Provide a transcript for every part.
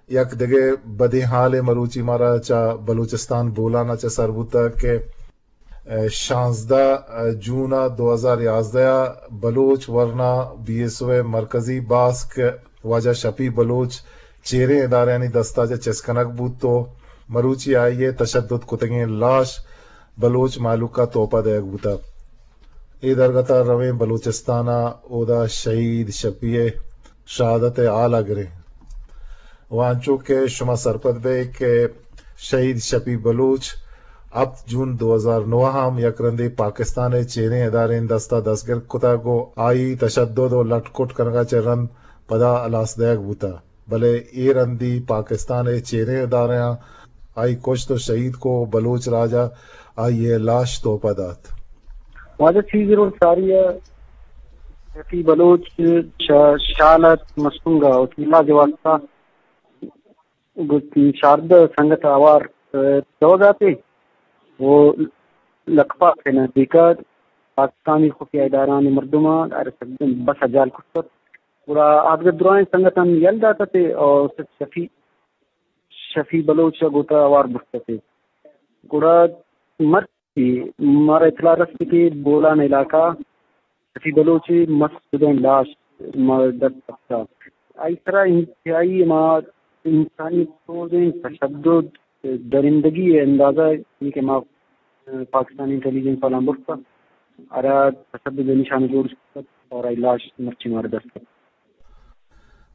یک دگہ بدیں حالے مروچی مارا چہ بلوچستان بولان ءَ چہ سر بوتگ کہ، ءَ، شانزدہ جون ءَ دو ہزار یازدہ ءَ بلوچ ورنا بی ایس او ءِ مرکزی باسک واجہ شفیع بلوچ چیریں ادارہانی دست ءَ چہ چست کنگ بوت ءُ مروچی آئی ءِ تشدد کتگیں لاش بلوچ مہلوک ءَ تحفہ دئیگ بوتگ۔ اے درگت ءَ رویں بلوچستان ءَ اودا شہید شفیع ءِ شہادت ءِ حال ءَ گریں۔ ءُ انچو کہ شما سرپد بئے کہ شہید شفیع بلوچ ہپت جون دو ہزار نو ءَ ہم یک رندے پاکستان ءِ چیریں ادارہانی دست ءَ دستگیر کتگ ءُ آئی تشدد ءُ لٹ کٹ کنگ ءَ چہ رند پدا ہلاس دئیگ بوتگ، بلے اے رندی پاکستان ءِ چیریں ادارہاں آئی کشت ءُ شہید کو، بلوچ راج ءَ آئی ءِ لاش تحفہ دات۔ واجہ چیزی رول ساری ءَ شفیع بلوچ چہ شال ات مستونگ ءَ وتی علاج ءِ واستہ گوں چاردہ سنگت ءَ ہوار، ءَ، روگ ءَ اتے ءُ لکپاس ءِ نزیک ءَ پاکستانی خفیہ ادارہانی مردماں بس ءَ جال کت ات۔ گڑا آدگہ درائیں سنگتاں یل دات اتے ءُ شفیع، شفیع بلوچ ءَ گوں وت ءَ ہوار برت اتے۔ گڑا مرچی مارا اطلاع رست کہ بولان علاقہ شفیع بلوچ ءِ مست شدیں لاش ما دست کپتہ۔ آئی سرا انتہائی ہما انسانی سوزیں تشدد، درندگی ءِ اندازہ اے کہ ما پاکستانی انٹیلیجنس والاں برتہ، ہرا تشدد ءِ نشانہ جوڑ کتہ اور آئی لاش مرچی مارا دست کپتہ۔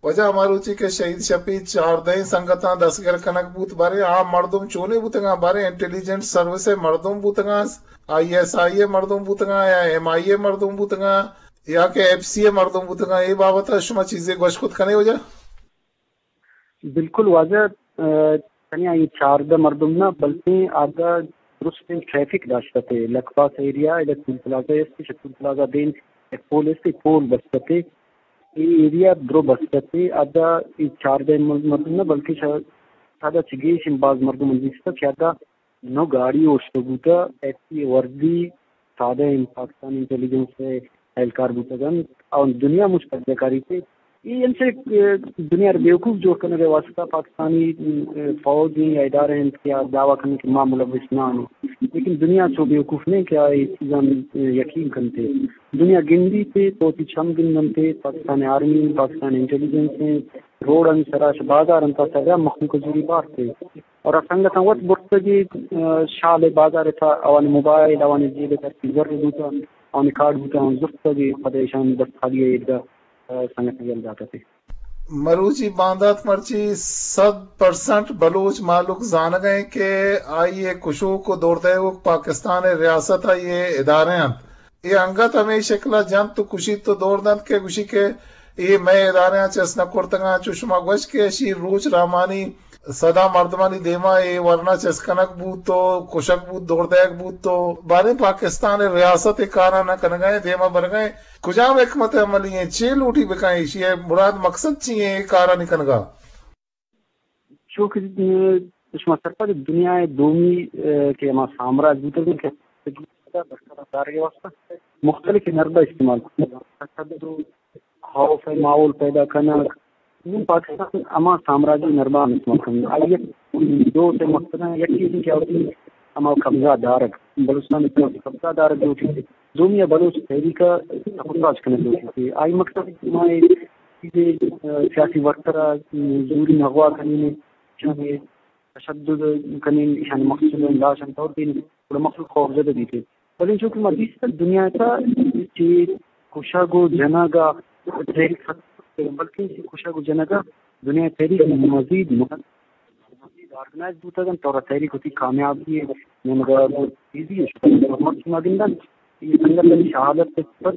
واجہ، ہما روچی کہ شہید شفیع چاردہیں سنگتاں دستگر کنگ بوت، باریں آ مردم چونیں بوتگاں؟ باریں انٹیلیجنس سروس ءِ مردم بوتگاں، آئی ایس آئی ءِ مردم بوتگاں یا ایم آئی ءِ مردم بوتگاں یا کہ ایف سی ءِ مردم بوتگاں؟ اے بابت ءَ شما چیزے گوشت کت کنے واجہ؟ بالکل واجہ، ءَ، تنیا اے چاردہ مردم نہ، بلکیں آدگہ درستیں ٹریفک داشت اتے۔ لکپاس ایریا، ادا ٹول پلازہ است، چہ ٹول پلازہ دیم یک پول است، پول بست اتے۔ اے ایریا درو بست اتے۔ ادا اے چاردہ مردم نہ، بلکیں شا-، شاید چہ گیش باز مردم دیستہ کہ ادا نو گاڑی اوشتو بوتہ، ایف سی ءِ وردی، سادہ انت، پاکستانی انٹیلیجنس ءِ اہلکار بوتگ انت، اور دنیا مچ قبضہ کاری تے۔ اے انچے، ءَ، دنیا ءَ بیوقوف جوڑ کنگ ءِ واسطہ پاکستانی، ءَ، فوج یا ادارہ انت کہ آ دعویٰ کننت کہ ما ملوث نہ آں، لیکن دنیا چو بیوقوف نہیں کہ آ اے چیزاں، ءَ، یقین کنتے۔ دنیا گندی تے، تو تی چم گندنتے، پاکستان آرمی، پاکستان انٹیلیجنس ہیں، روڈ ہم سرا، بازار انت سرا مخلوق زوری بارتے۔ اور آ سنگتاں وت برتگی، ءَ، شال ءِ بازار ءِ تھا، آوانی موبائل، آوانی جیب ءِ تھا زر بوتہ، آوانی کارڈ بوتہ، آوان زرتگی، پدا ایشان دست خالی ءَ ایدگہ، ءَ، سنگتاں یل داتہ تے۔ مروچی باندات مرچی صد پرسنٹ بلوچ مہلوک زانگ ءَ کہ آئی ءِ کشوک ءُ دور دئیوک پاکستان ءِ ریاست ءِ ادارہ انت۔ اے انگت ہمے شکل ءَ جنت ءُ کشیت ءُ دور دنت کہ گوشی کہ اے مئے ادارہاں چست نہ کرتگاں۔ چو شما گوشت کہ اشی روچ رحمانی سدا مردمانی دیما اے ورنا چست کنگ بوت ءُ کشگ بوت، دور دئیگ بوت ءُ باریں پاکستان ءِ ریاست اے کاراں نہ کنگا ایں، دیما برگا ایں۔ کجام حکمت عملی ایں؟ چے لوٹی بکن؟ ایشی ءِ مراد مقصد چی ایں اے کارانی کنگا؟ چو کہ، ءَ، شما سرپد دنیا ءِ دومی، ءَ، کہ ہما سامراج بوتگ کہ برقرار دارگ ءِ واسطہ مختلف حربہ استعمال کتگ۔ تشدد ءُ خوف ءِ ماحول پیدا کنگ۔ نوں پاکستان ہما سامراجی حربہ استعمال کنگ۔ آئی ءِ دو سے مقصد ہیں، یکی کہ آئی ہما قبضہ دارگ، بلوچستان ءِ قبضہ دارگ لوٹی۔ دومی ءَ بلوچ تحریک ءَ سبوتاژ کنگ لوٹیت۔ آئی مقصد ما اے چیزے، ءَ، سیاسی ورکر ءَ زوری اغوا کنیں، ایشانی تشدد کنیں، ایشانی مقصد ءَ لاش ہم طور دیں، گڑا مخلوق خوف زدہ بیت۔ بلے چونکہ ما دیست دنیا ءِ تھا چہ کشگ ءُ جنگ ءَ تحریک ختم، بلکیں چہ کشگ ءُ جنگ ءَ دنیا ءِ تحریک مزید مزید آرگنائز بوتگ انت، اور تحریک وتی کامیابی ءِ نیمگ ءَ تیزی ءَ شتگ۔ مرچی ما گندن، اے سنگتانی شہادت ءِ پد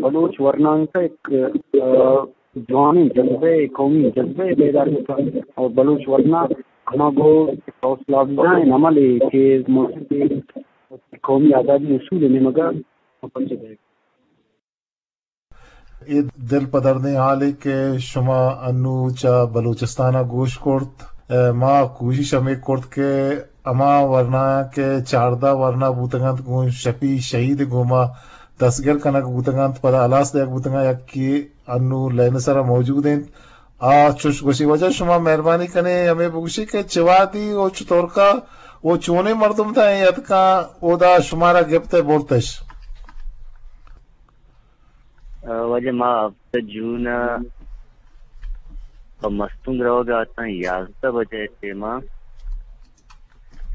بلوچ ورناک ءَ یک، ءَ، جوانیں جذبہ ءِ، قومی جذبہ ءِ بیدار بوتگ اور بلوچ ورنا ہما گوں حوصلہ افزائیں عملے کہ ملک ءِ قومی آزادی اصول ءِ نیمگ ءَ پنجہ دئیگ۔ اے دل پدردیں حالے کہ شما انو چہ بلوچستان ءَ گوش کرت۔ ءَ، ما کوشش ہمے کرت کہ ہما ورنایاں کہ چاردہ ورنا بوتگ انت، گوں شفیع شہید ءِ گوما دستگر کنگ بوتگ انت، پدا ہلاس دیگ بوتگ انت، یکے انو لین ءِ سرا موجود انت، آ، چوش گوشی واجہ، شما مہربانی کنے ہمے بگوشی کہ چہ وہدی و چتورکا و چونیں مردم تہا اے اتکاں، اودا شمارا گپت ء برتش؟ آ، واجہ، ما ہفت جون ء پہ مستونگ روگ ء اتاں، یازدہ بجہ ء پیما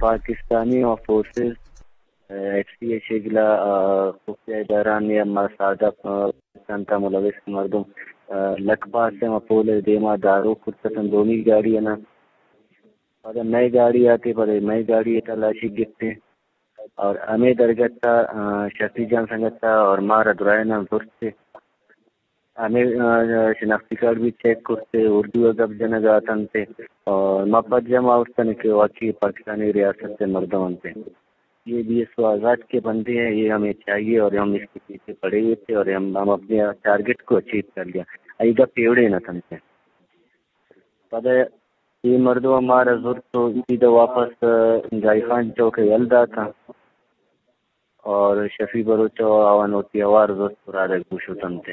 پاکستانی فورسز، آ، ایف سی ء شگلا، آ، خفیہ ادارہانی ہم سادہ، آ، پاکستان تہا ملوث مردم، آ، لک باز ء ہم پول ء دیما دارو کرت اتنت دومی گاڑی ء نا۔ پدا مئے گاڑی آتے، پدا مئے گاڑی ء تلاشی گپتیں۔ اور ہمے درگت ء، آ، شفیع جان سنگت ء اور مارا درائیناں زرتے۔ ہمے، آ، شناختی کارڈ بھی چیک کرتے، اردو ء گپ جنگ ء اتنتے۔ اور ما پجم آورتن کہ واقعی پاکستانی ریاست ء مردم انتے۔ یہ بی ایس او آزاد کے بندے ہیں، یہ ہمیں چاہیے اور ہم اس کے پیچھے پڑے ہوئے تھے اور ہم، ہم اپنے ٹارگٹ کو اچیو کر لیا۔ ای گپ ایوڑے نہ تنتے۔ پدا اے مردم مارا زرت و سیدھا واپس، آ، جائی خان چوک ء یل داتاں اور شفیع بلوچ ء آوان وتی ہوار زرت و رادگ بوشتنت۔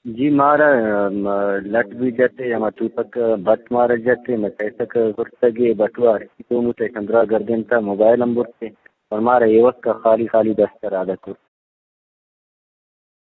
جی مارا، آ، لٹ بھی جتے، ہما توپک بٹ مارا جتے، مئے پیسک زرتگے، بٹوا ہرچی دوموت ایشاں درا گردینتا، موبائل ہم برتے اور مارا ایوک ء خالی خالی دست ء رادگ کرت۔